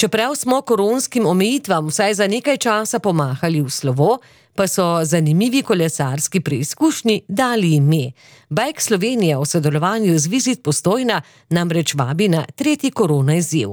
Čeprav smo koronskim omejitvam vsaj za nekaj časa pomahali v slovo, pa so zanimivi kolesarski preizkušnji dali ime. Bike Slovenija v sodelovanju z Visit Postojna namreč vabi na 3. korona izziv.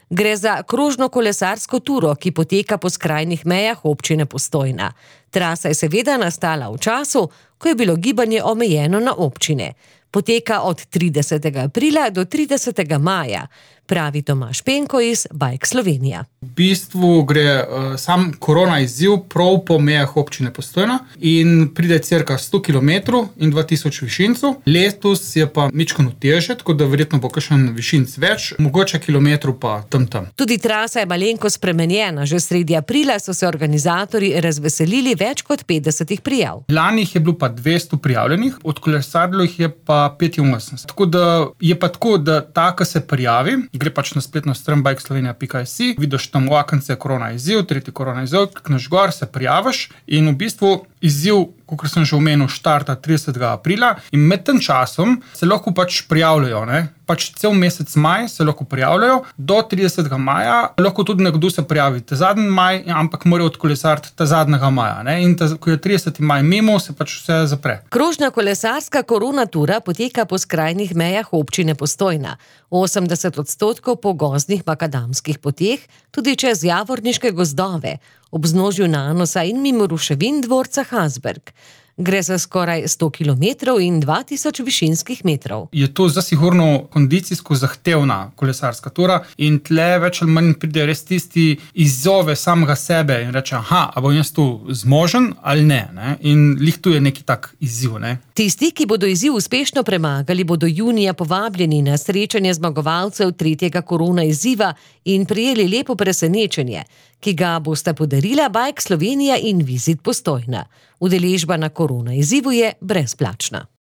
Gre za krožno kolesarsko turo, ki poteka po skrajnih mejah občine Postojna. Trasa je seveda nastala v času, ko je bilo gibanje omejeno na občine. Poteka od 30. aprila do 30. maja, pravi Tomaž Penko iz Bike Slovenija. V bistvu gre sam korona izziv prav po mejah občine Postojna in pride cirka 100 km in 2000 višincev. Letos je pa mičkano težje, tako da verjetno bo kakšen višinc več, mogoče kilometrov pa tam. Tudi trasa je malenko spremenjena. Že sredi aprila so se organizatorji razveselili več kot 50 prijav. Lani je bilo pa 200 prijavljenih, odkolesarilo jih je pa 85. Tako da je pa tako, da ta, ki se prijavi, gre pač na spletno stran bikeslovenia.si, vidiš tam v okence korona izziv, 3. korona izziv, klikneš gor, se prijaviš in v bistvu izziv, kot sem že omenil, štarta 30. aprila in med tem časom se lahko pač prijavljajo, ne? Pač cel mesec maj se lahko prijavljajo, do 30. maja lahko tudi nekdo se prijavi ta zadnji maj, ampak mora odkolesariti ta zadnjega maja, ne? In ko je 30. maj mimo, se pač vse zapre. Krožna kolesarska korona tura poteka po skrajnih mejah občine Postojna. 80% po gozdnih makadamskih poteh, tudi čez javorniške gozdove, ob vznožju Nanosa in mimo ruševin dvorca Hasberg. Gre za skoraj 100 km in 2000 višinskih metrov. Je to zasigurno kondicijsko zahtevna kolesarska tura in tle več ali manj pride res tisti izzove samega sebe in reče, a bom jaz to zmožen ali ne? In lih tu je neki tak izziv, ne? Tisti, ki bodo izziv uspešno premagali, bodo junija povabljeni na srečanje zmagovalcev 3. korona izziva in prijeli lepo presenečenje, ki ga bosta podarila Bike Slovenija in Visit Postojna. Udeležba na korona izzivu je brezplačna.